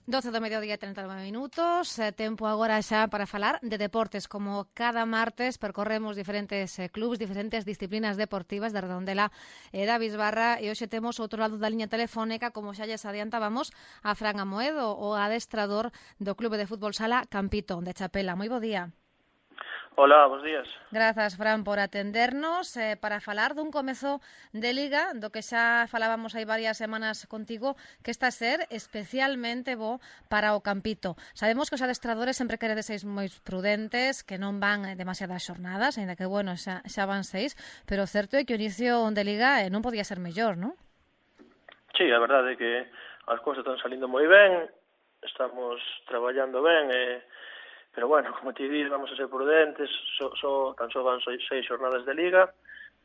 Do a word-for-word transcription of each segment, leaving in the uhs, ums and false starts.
doce do mediodía e trinta e nove minutos, eh, tempo agora xa para falar de deportes. Como cada martes percorremos diferentes eh, clubs, diferentes disciplinas deportivas de Redondela e da Bisbarra, e hoxe temos outro lado da liña telefónica, como xa lles adiantábamos, a Fran Amoedo, o adestrador do Clube de Fútbol Sala Campito, de Chapela. Moi bo día. Hola, bons días. Grazas, Fran, por atendernos eh, para falar dun comezo de Liga, do que xa falábamos hai varias semanas contigo, que está a ser especialmente bo para o Campito. Sabemos que os adestradores sempre queredes seis moi prudentes, que non van demasiadas xornadas, ainda que, bueno, xa, xa van seis, pero o certo é que o inicio de Liga eh, non podía ser mellor, non? Sí, a verdade é que as cousas están salindo moi ben, estamos traballando ben, e... pero bueno, como te dices, vamos a ser prudentes, so, so, tan só van seis, seis xornadas de Liga,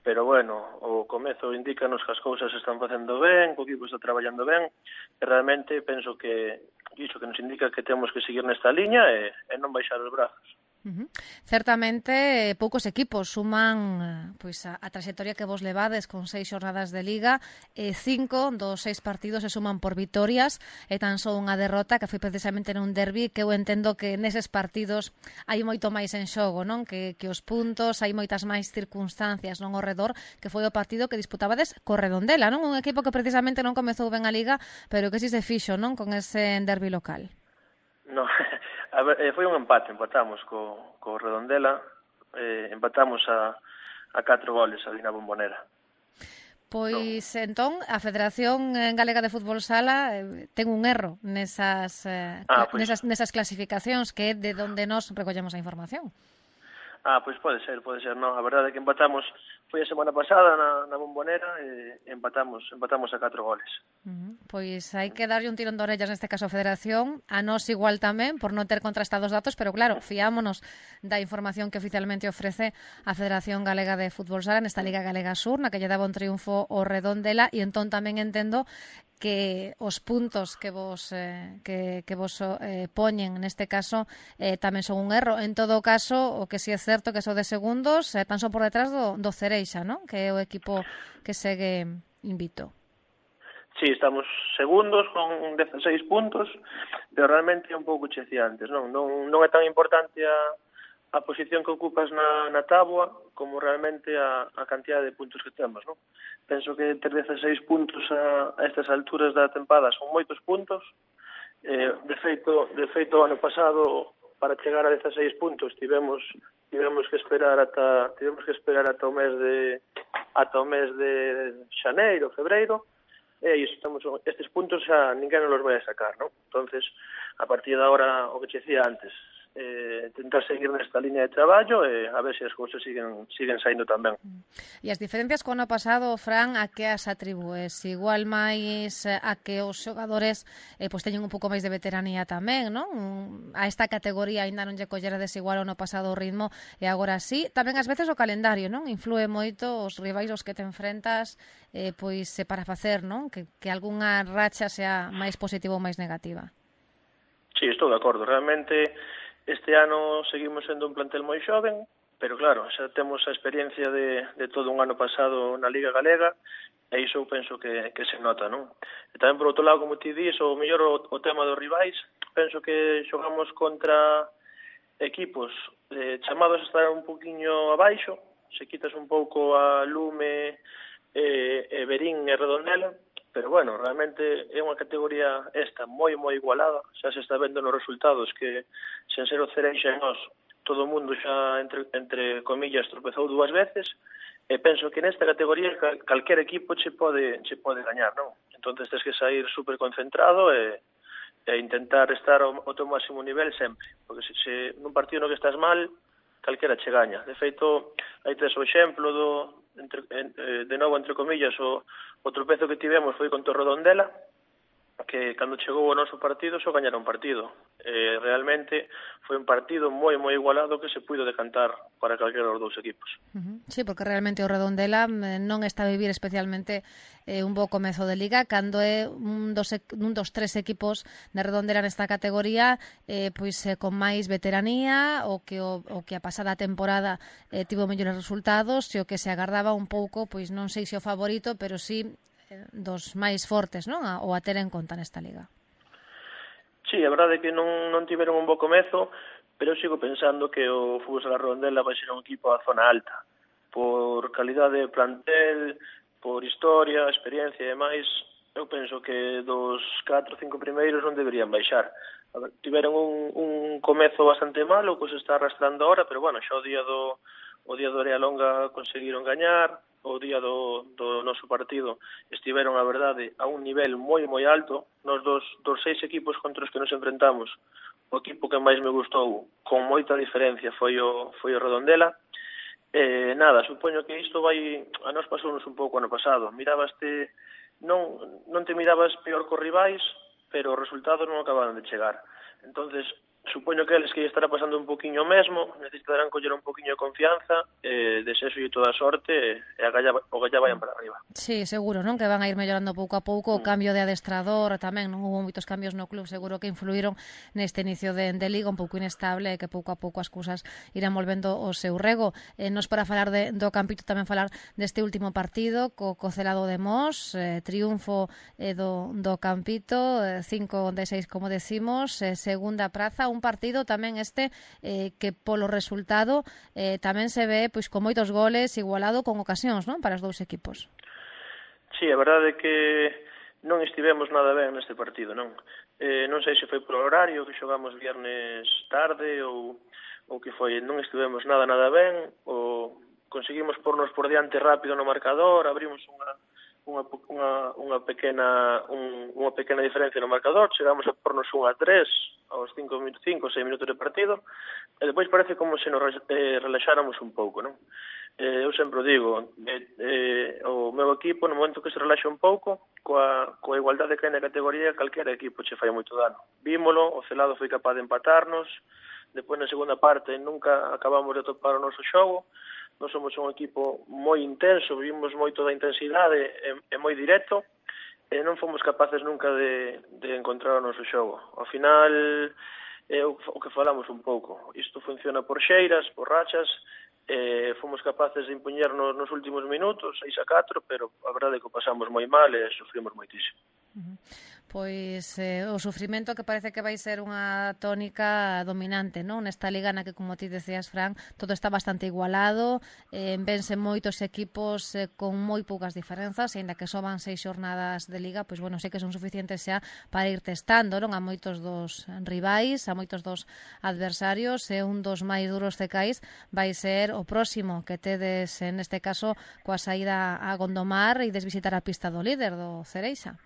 pero bueno, o comezo indícanos que as cousas están facendo ben, que o equipo está traballando ben, e realmente penso que iso que nos indica que temos que seguir nesta liña e, e non baixar os brazos. Uh-huh. Certamente poucos equipos suman pois a, a trayectoria que vos levades con seis xornadas de Liga, e cinco dos seis partidos se suman por vitorias e tan só unha derrota que foi precisamente nun derbi, que eu entendo que neses partidos hai moito máis en xogo, non? Que, que os puntos, hai moitas máis circunstancias non ao redor, que foi o partido que disputabades co Redondela, non? Un equipo que precisamente non comezou ben a Liga, pero que si se fixo, non? Con ese derbi local. No, a ver, foi un empate, empatamos co, co Redondela, eh, empatamos a, a catro goles ali na Bombonera. Pois no. Entón, a Federación Galega de Fútbol Sala eh, ten un erro nesas, eh, ah, pues... nesas, nesas clasificacións, que é de onde nos recollemos a información. Ah, pois pode ser, pode ser, non. A verdade é que empatamos, foi a semana pasada na, na Bombonera, e empatamos empatamos a catro goles. Uh-huh. Pois hai que darlle un tirón de orellas neste caso a Federación, a nós igual tamén, por non ter contrastados datos, pero claro, fiámonos da información que oficialmente ofrece a Federación Galega de Fútbol Sala nesta Liga Galega Sur, na que lle daba un triunfo ao Redondela, e entón tamén entendo que os puntos que vos eh, que, que vos eh, poñen neste caso eh, tamén son un erro. En todo caso, o que si é certo que sodes segundos, eh, tan só por detrás do, do Cereixa, non? Que é o equipo que segue invicto. Sí, estamos segundos con dezasseis puntos, pero realmente é un pouco checiantes, non? Non, non é tan importante a a posición que ocupas na, na táboa como realmente a, a cantidad de puntos que temos, non? Penso que ter dezasseis puntos a, a estas alturas da tempada son moitos puntos. Eh, de feito, de feito, ano pasado, para chegar a dezasseis puntos, tivemos tivemos que esperar ata tivemos que esperar ata o mes de ata o mes de xaneiro, febreiro, e iso, estamos, estes puntos xa ninguén nos los vai a sacar, non? Entonces, a partir de agora, o que che decía antes, eh, tentar seguir nesta liña de traballo e a ver se as cousas siguen siguen saindo tamén. E as diferencias co ano pasado, Fran, a que as atribúes? Igual máis a que os xogadores eh, pois teñen un pouco máis de veteranía tamén, non? A esta categoría aínda non lle collera desigual o ano pasado o ritmo, e agora sí. Tamén ás veces o calendario, non? Influe moito os rivais aos que te enfrentas, eh, pois para facer, non? Que, que algunha racha sea máis positiva ou máis negativa. Sí, estou de acordo. Realmente este ano seguimos sendo un plantel moi xoven, pero claro, xa temos a experiencia de, de todo un ano pasado na Liga Galega, e iso penso que, que se nota, non? E tamén, por outro lado, como ti dis, o mellor o, o tema dos rivais, penso que xogamos contra equipos eh, chamados a estar un poquinho abaixo, se quitas un pouco a Lume, eh, e Verín e Redondela, pero bueno, realmente é unha categoría esta moi moi igualada, xa se está vendo nos resultados que sen ser o Cereixa e nós, todo o mundo xa entre, entre comillas tropezou dúas veces, e penso que nesta categoría cal, calquer equipo che pode che pode gañar, non? Entonces tens que sair super concentrado e, e intentar estar ao, ao teu máximo nivel sempre, porque se, se nun partido no que estás mal, calquera che gaña. De feito, aí tes o exemplo do entre, eh, de novo, entre comillas, o, o tropezo que tivemos foi con Torredondela, que cando chegou o noso partido só gañara un partido. Eh, realmente foi un partido moi moi igualado que se puido decantar para calquera dos dous equipos. Uh-huh. Sí, porque realmente o Redondela non está a vivir especialmente eh, un bo comezo de Liga, cando é un dos, un dos tres equipos de Redondela nesta categoría eh, pois eh, con máis veteranía, o que o, o que a pasada temporada eh, tivo mellores resultados, e o que se agardaba un pouco, pois non sei se o favorito, pero sí dos máis fortes, non? O a ter en conta nesta liga. Sí, a verdade é que non, non tiveron un bo comezo, pero eu sigo pensando que o Fútbol Sala Redondela vai ser un equipo a zona alta. Por calidade de plantel, por historia, experiencia e demais, eu penso que dos catro ou cinco primeiros non deberían baixar. A ver, tiveron un, un comezo bastante malo, que se está arrastrando ahora, pero bueno, xa o día do o día do Arealonga conseguiron gañar, o día do, do noso partido estiveron, a verdade, a un nivel moi, moi alto. Nos dos, dos seis equipos contra os que nos enfrentamos, o equipo que máis me gustou, con moita diferencia, foi o, foi o Redondela. Eh, nada, supoño que isto vai, a nos pasounos un pouco ano pasado. Mirabaste, non, non te mirabas peor cos rivais, pero os resultados non acababan de chegar. Entonces, supoño que eles que estará pasando un poquinho mesmo, necesitarán coller un poquinho de confianza, eh, desexo e toda a sorte, e a galla, o galla vayan para arriba. Sí, seguro, non? Que van a ir mellorando pouco a pouco, o Mm. cambio de adestrador tamén, non houve moitos cambios no club, seguro que influíron neste inicio de, de liga un pouco inestable, e que pouco a pouco as cousas irán volvendo o seu rego. Eh, nos para falar de, do Campito, tamén falar deste último partido co, co Celado de Mos, eh, triunfo eh, do, do Campito, eh, cinco de seis como decimos, eh, segunda praza, un partido tamén este eh, que polo resultado eh, tamén se ve pois con moitos goles, igualado con ocasións, non, para os dous equipos. Sí, a verdade é que non estivemos nada ben neste partido, non? Eh, non sei se foi por horario, que xogamos viernes tarde ou, ou que foi, non estivemos nada, nada ben, ou conseguimos pornos por diante rápido no marcador, abrimos unha unha, unha, unha pequena un, unha pequena diferencia no marcador, chegamos a pornos un a tres aos cinco ou seis minutos de partido, e depois parece como se nos eh, relaxáramos un pouco, non? Eh, eu sempre digo, eh, eh, o meu equipo, no momento que se relaxa un pouco, coa, coa igualdade que hai na categoría, calquera equipo che fai moito dano. Vímolo, o Celado foi capaz de empatarnos, depois na segunda parte nunca acabamos de topar o noso xogo. Nós somos un equipo moi intenso, vivimos moito da intensidade e, e moi directo, e non fomos capaces nunca de, de encontrar o noso xogo. Ao final, é o, o que falamos un pouco. Isto funciona por xeiras, por rachas, e fomos capaces de impoñernos nos últimos minutos, seis a catro, pero a verdade é que o pasamos moi mal e sufrimos moitísimo. Uh-huh. Pois eh, o sufrimento que parece que vai ser unha tónica dominante, non? Nesta liga na que, como ti decías, Fran, todo está bastante igualado, eh, vense moitos equipos eh, con moi poucas diferenzas, e ainda que só van seis xornadas de liga, pois bueno, sei que son suficientes xa para ir testando, non? A moitos dos rivais, a moitos dos adversarios, e un dos máis duros cecais vai ser o próximo que tedes, neste caso, coa saída a Gondomar e desvisitar a pista do líder, do Cereixa.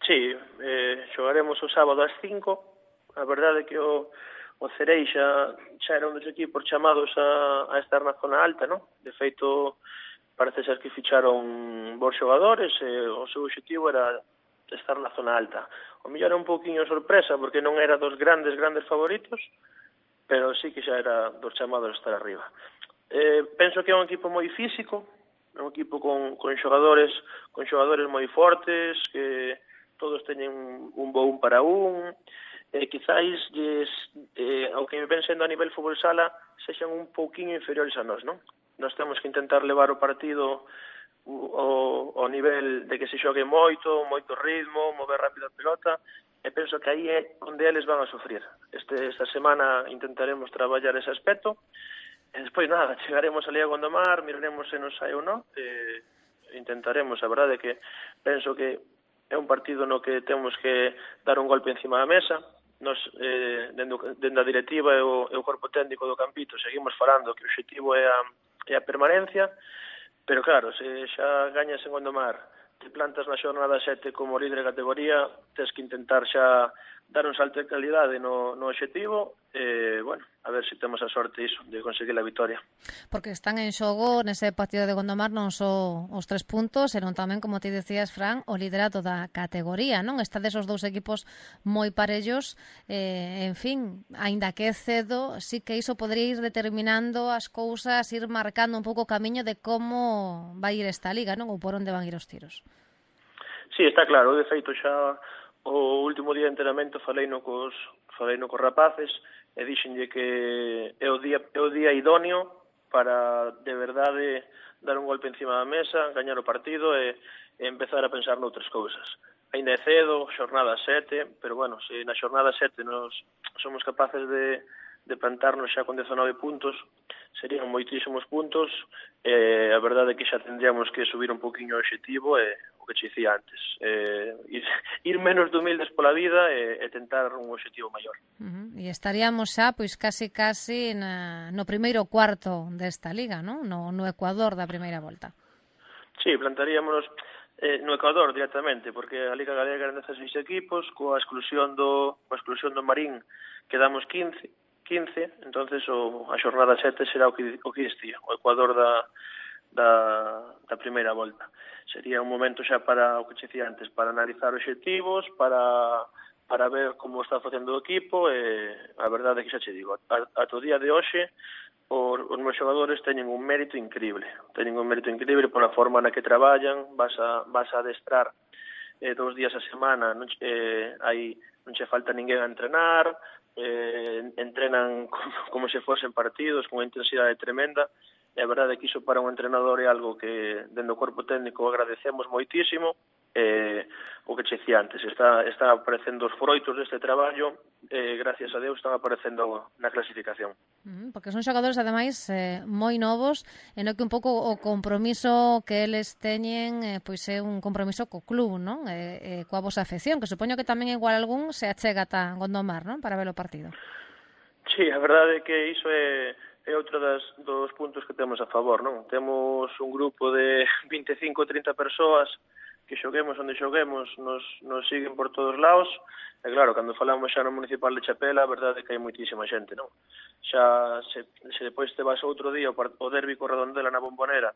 Sí, eh, xogaremos o sábado ás cinco. A verdade é que o, o Cereixa xa era un dos equipos chamados a, a estar na zona alta, non? De feito, parece ser que ficharon bons xogadores e o seu objetivo era estar na zona alta. O mellor era un pouquiño sorpresa, porque non era dos grandes, grandes favoritos, pero sí que xa era dos chamados a estar arriba. Eh, penso que é un equipo moi físico, é un equipo con, con xogadores con xogadores moi fortes, que todos teñen un bo un para un, e quizáis lles, eh, ao que me ven sendo a nivel fútbol sala, sexan un pouquinho inferiores a nós, non? Nós temos que intentar levar o partido o, o nivel de que se xogue moito, moito ritmo, mover rápido a pelota, e penso que aí é onde eles van a sufrir. Este, esta semana intentaremos traballar ese aspecto, e despois nada, chegaremos ali a Gondomar, miraremos se nos sai ou non, e intentaremos, a verdade é que penso que é un partido no que temos que dar un golpe encima da mesa. Nos, eh, dende, dende a directiva e o, e o corpo técnico do Campito seguimos falando que o objetivo é a, é a permanencia, pero claro, se xa gañas en Gondomar, te plantas na xornada sete como líder de categoría, tens que intentar xa dar un salto de calidade no, no objetivo, e, bueno, a ver se temos a sorte iso, de conseguir a vitória. Porque están en xogo nese partido de Gondomar non só os tres puntos, senón tamén, como ti decías, Fran, o liderato da categoría, non? Está desos dous equipos moi parellos, eh, en fin, aínda que é cedo, sí que iso podría ir determinando as cousas, ir marcando un pouco o camiño de como vai ir esta liga, non? Ou por onde van ir os tiros. Sí, está claro, de feito xa o último día de entrenamento faleino cos, faleino cos rapaces e dixenlle que é o día, é o día idóneo para de verdade dar un golpe encima da mesa, gañar o partido e, e empezar a pensar noutras cousas. ainda é cedo, xornada sete, pero bueno, se na xornada sete nos somos capaces de, de plantarnos xa con dezanove puntos, serían moitísimos puntos, e a verdade é que xa tendríamos que subir un poquinho o obxectivo, e o que che dicía antes, eh, ir, ir menos de humildes pola vida e, e tentar un obxectivo maior. Uh-huh. E estaríamos xa, pois, casi, casi na, no primeiro cuarto desta liga, non? No, no Ecuador da primeira volta. Sí, plantaríamos eh, no Ecuador directamente, porque a Liga Galega eran dezasseis equipos, coa exclusión do, coa exclusión do Marín quedamos quince, quince, entonces o, a xornada sete será o que, o que distía, o Ecuador da, da, da primeira volta. Sería un momento xa para, o que che dicía antes, para analizar obxectivos, para, para ver como está facendo o equipo, e a verdade é que xa che digo, ata o día de hoxe, os, os meus xogadores teñen un mérito increíble, teñen un mérito increíble pola forma na que traballan, vas a, vas a adestrar eh, dos días a semana, non, eh, hai, non che falta ninguén a entrenar, eh, entrenan como, como se fosen partidos, con unha intensidade tremenda, e a verdade é que iso para un entrenador é algo que dentro do corpo técnico agradecemos moitísimo, eh, o que che dicía antes, está, está aparecendo os froitos deste traballo, eh, gracias a Deus están aparecendo na clasificación. Uh-huh, porque son xogadores, ademais, eh, moi novos, e no que un pouco o compromiso que eles teñen eh, pois é un compromiso co club, non? E, eh, coa vosa afección, que supoño que tamén igual algún se achega ata Gondomar, non? Para ver o partido. Sí, a verdade é que iso é, é outro das, dos puntos que temos a favor, non? Temos un grupo de vinte e cinco a trinta persoas que xoguemos onde xoguemos, nos, nos siguen por todos lados, e claro, cando falamos xa no Municipal de Chapela, a verdade é que hai moitísima xente, non? Xa, se, se depois te vas outro día o derbi co Redondela na Bombonera,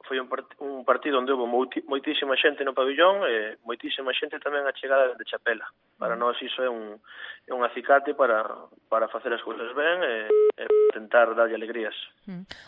foi un, part, un partido onde houve moitísima xente no pabillón e moitísima xente tamén a chegada de Chapela. Para nós iso é un, é un acicate para, para facer as cousas ben e, e tentar darlle alegrías.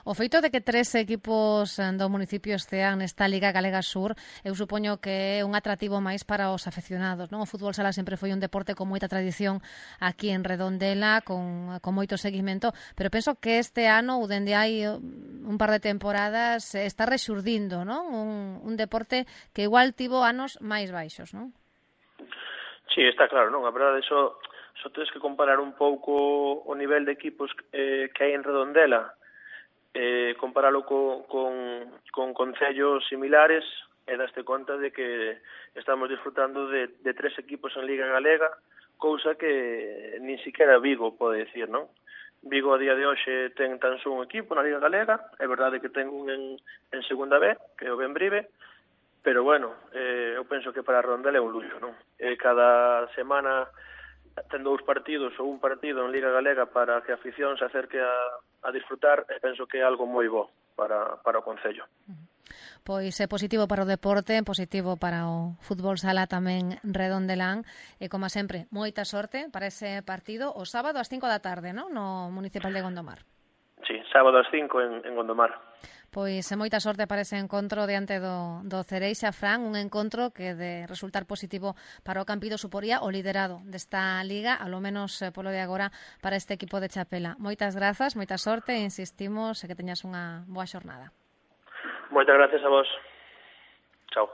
O feito de que tres equipos do municipio estean nesta Liga Galega Sur, eu supoño que é un atractivo máis para os afeccionados, non? O fútbol sala sempre foi un deporte con moita tradición aquí en Redondela, con, con moito seguimento, pero penso que este ano, ou dende hai un par de temporadas, está rexurdindo, non? Un, un deporte que igual tivo anos máis baixos, non? Sí, está claro, non? A verdade, só, só tens que comparar un pouco o nivel de equipos eh, que hai en Redondela, eh, comparalo co, con, con concellos similares, e daste conta de que estamos disfrutando de, de tres equipos en Liga Galega, cousa que nin siquiera Vigo pode decir, non? Vigo a día de hoxe ten tan só un equipo na Liga Galega, é verdade que ten un en, en segunda B, que é o Benbrive, pero bueno, eh, eu penso que para Redondela é un luxo, non? Eh, cada semana ten dous partidos ou un partido en Liga Galega para que a afición se acerque a, a disfrutar, e penso que é algo moi bo para, para o Concello. Pois é positivo para o deporte, positivo para o fútbol sala tamén redondelán, e como sempre, moita sorte para ese partido o sábado ás cinco da tarde, non? No Municipal de Gondomar. Sí, sábado ás cinco en, en Gondomar. Pois é moita sorte para ese encontro diante do, do Cereixa, Fran, un encontro que de resultar positivo para o Campido suporía o liderado desta liga, alo menos eh, polo de agora para este equipo de Chapela. Moitas grazas, moita sorte e insistimos e que teñas unha boa xornada. Moitas gracias a vos. Chao.